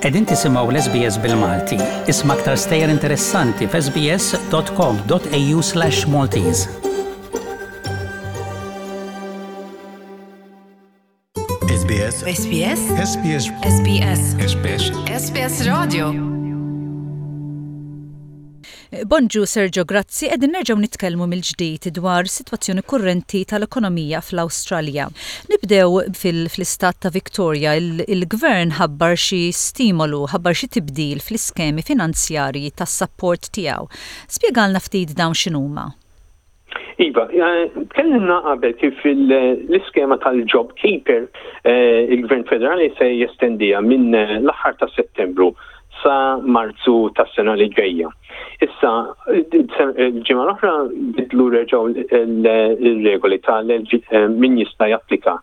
Qegħdin tisimgħu l-SBS bil-Malti. Isma' aktar stejjer interessanti f'sbs.com.au/maltese. SBS SBS SBS SBS SBS SBS Radio Bonġu Sergio Grazzi, qegħdin nerġgħu nitkellmu mill-ġdid dwar sitwazzjoni kurrenti tal-ekonomija fl-Awstralja. Nibdew fil-istat ta' Victoria, il-gvern ħabbar xi stimolu, ħabbar xi tibdil fl-iskemi finanzjarji tas-sapport tiegħu. Spjegalna ftit dawn x'inhuma. Iva, tkellimna qabel kif l-iskema tal-Job Keeper eh, il-Gvern Federali se jestendiha minn eh, l-aħħar ta' Settembru sa Marzu tas-sena li ġejja. Issa, il-ġimgħa l-oħra bidlu reġgħu il-regoli tal eh, min jista' japplika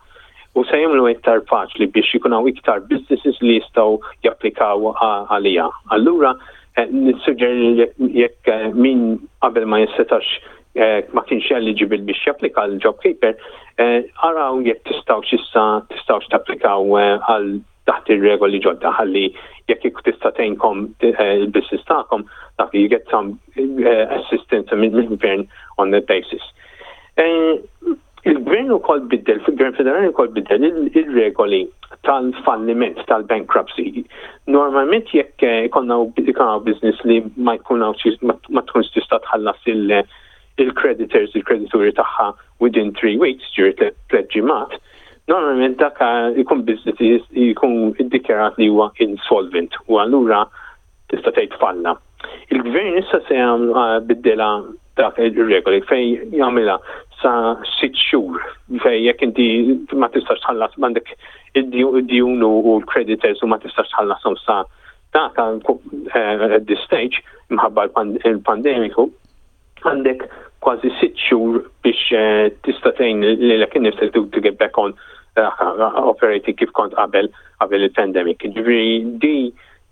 u se jagħmlu iktar faċli biex ikun hawn iktar businesses li jistgħu japplikaw għaliha. Allura eh, nissuġġeri jekk eh, min qabel ma jissetax eh, ma kienx eligible biex japplika għal job keeper, araw jekk tistgħux issa tistgħux tapplikaw għal taħt ir-regoli ġodda ħalli jekk jekk tista' tgħinkom il-business tagħkom dak you get some assistance mill-gvern on that basis. Il-gvern ukoll biddel, fil-gvern federali wkoll biddel il-regoli tal-falliment, tal-bankruptcy. Normalment jekk eh, ikonna ikonna business li ma jkun ma tkunx tista' tħallas il-creditors, il-kredituri tagħha within three weeks, ġiri tliet ġimgħat, normalment dak eh, ikun business jkun iddikjarat li huwa insolvent u allura tista' tgħid falla. Il-gvern issa se eh, biddela dak ir-regoli fejn jagħmilha sa sitt xhur fejn jekk inti ma tistax tħallas m'għandek id-djun u l-creditors u ma tistax tħallashom sa dak eh, at this stage imħabba l-pandemiku għandek kważi sitt xhur biex eh, tista' tgħin lilek innifsek to get back on eh, operating kif kont qabel qabel il-pandemic. Ġifieri di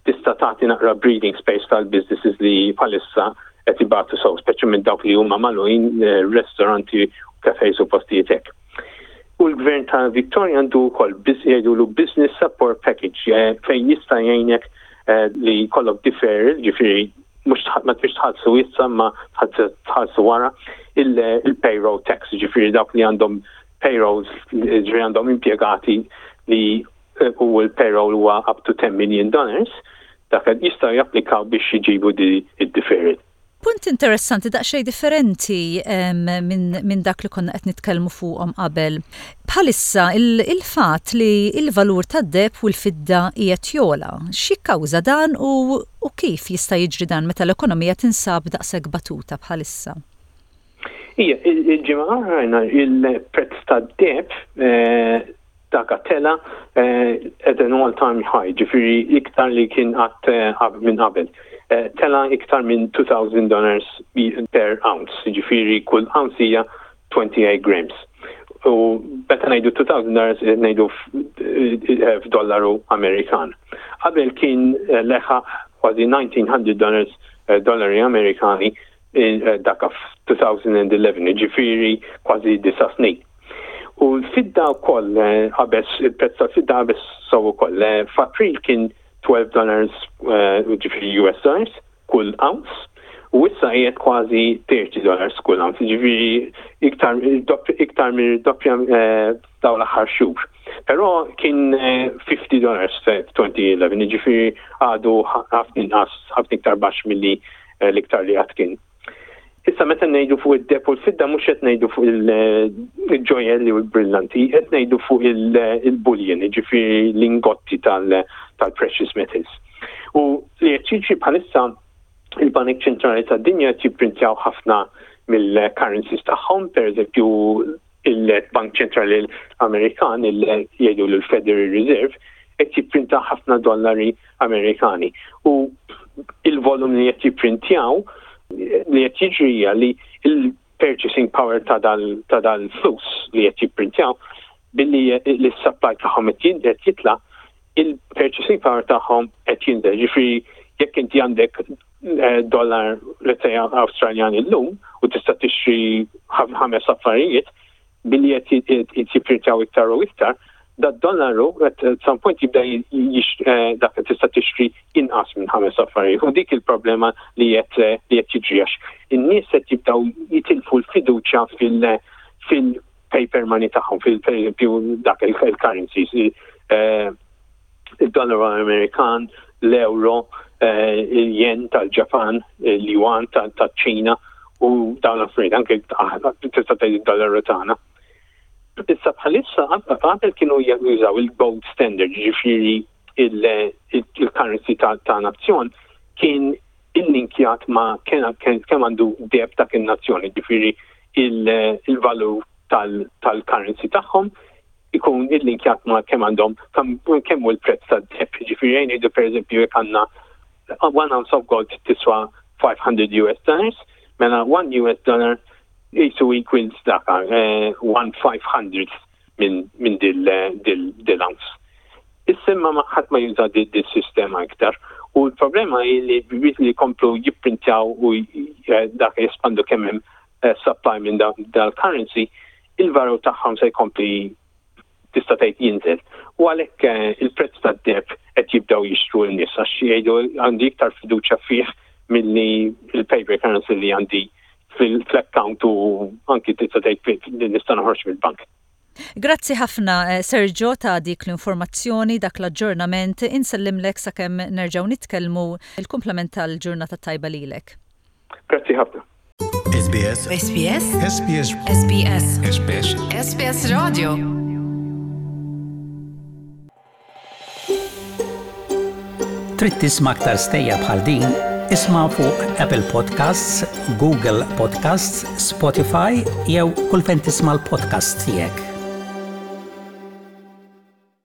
tista' tagħti naqra breathing space tal-businesses li bħalissa qed ibatu sew, speċjalment dawk li huma magħluqin eh, ristoranti, cafes u postijiet hekk. U l-gvern ta' Victoria għandu wkoll jgħidulu business support package fejn jista' jgħinek li jkollok deferral, ġifieri mhux ma trix tħallsu issa ma tħallsu wara il-payroll tax, ġifieri dawk li għandhom payrolls, ġifieri għandhom impjegati li eh, u l-payroll huwa up to 10 million dollars, dak jistgħu japplikaw biex jġibu di id-deferred. Punt interessanti daqsxejn differenti minn min dak li konna qed nitkellmu fuqhom qabel. Bħalissa il-fatt li il-valur tad-deheb u l-fidda qiegħed jogħla, x'jikkawża dan u, u kif jista' jiġri dan meta l-ekonomija tinsab daqshekk batuta bħalissa? Ija, il-ġimgħa rajna il-prezz tad-deheb eh, dak tela eh, at an all time high, ġifieri iktar li kien qatt eh, minn qabel. Eh, tela iktar minn 2000 dollars per ounce, ġifieri kull ounce hija 28 grams. U meta ngħidu 2000 dollars ngħidu f'dollaru Amerikan. Qabel kien leħa kważi 1900 dollars dollari Amerikani dak f'2011, ġifieri kważi disa' snin. U l-fidda wkoll eh, qabeż, il-prezz tal-fidda qabeż sew ukoll. Eh, f'April kien 12 dollars, eh, ġifieri US dollars, kull ounce, u issa qiegħed kważi 30 dollars kull ounce, ġifieri iktar iktar mir-doppja dawn l-aħħar xhur. Però kien 50 dollars f'2011, ġifieri għadu ħafna inqas, ħafna iktar baxx milli l-iktar li qatt kien. Issa meta ngħidu fuq id-deheb u l-fidda mhux qed ngħidu fuq il-ġojelli u l-brillanti, qed ngħidu fuq il-bullion, jiġifieri l-ingotti tal-precious metals. U li qed jiġri bħalissa il-Banek Ċentrali tad-dinja qed jipprintjaw ħafna mill-currencies tagħhom, pereżempju il-Bank Ċentrali Amerikan, jgħidu l-Federal Reserve, qed jipprinta ħafna dollari Amerikani. U il-volum li qed jipprintjaw li qed jiġri hija li il-purchasing power ta' dal-flus li qed jipprintjaw billi l-supply tagħhom qed jitla' il-purchasing power tagħhom qed jinżel. Ġifieri jekk inti għandek eh, dollar let's say Awstraljan illum u tista' tixtri ħames affarijiet billi qed jipprintjaw iktar u iktar, Da-dollaru at some point jibda eh, dak tista' tixtri inqas minn ħames affarijiet. U dik il-problema li qed eh, li qed jiġri għax in-nies qed jibdew jitilfu l-fiduċja fil- fil paper money tagħhom fil pereżempju dak il-currencies eh, il-dollaru Amerikan, l-euro, eh, il-yen tal-Ġapan, il-yuan tal-Ċina u dawn l-affarijiet anke tista' tgħid id-dollaru tagħna. Issa bħalissa qabel kienu jużaw il-gold standard, ġifieri il-currency ta' nazzjon kien illinkjat ma' kemm għandu deb dak in-nazzjon, ġifieri il-valur tal-currency tagħhom ikun illinkjat ma' kemm għandhom kemm hu l-prezz tad-deb. Ġifieri jgħin jgħidu pereżempju jekk għandna one ounce of gold tiswa 500 US dollars, mela 1 US dollar jisu equals daka, 1 500 minn dil-ounce. Issa ma ħadd ma juża dil-sistema iktar. U l-problema hi li li komplu jipprintjaw u eh, dak jespandu kemm hemm eh, supply minn dal-currency, il-valur tagħhom se jkompli tista' tgħid jinżel. U għalhekk eh, il-prezz tad-deb qed jibdew jixtru n-nies għax jgħidu għandi iktar fiduċja fih milli il-paper currency li għandi fil-account u anki tista' tgħid li nista' noħroġ mill-bank. Grazzi ħafna eh, Sergio ta' dik l-informazzjoni, dak l-aġġornament, insellimlek sakemm nerġgħu nitkellmu il-kumplament tal-ġurnata tajba lilek. Grazzi ħafna. SBS SBS SBS SBS SBS SBS Radio. Trid tisma' aktar stejjer bħal din? Isma' fuq Apple Podcasts, Google Podcasts, Spotify jew kull fejn tisma' l-podcasts tiegħek.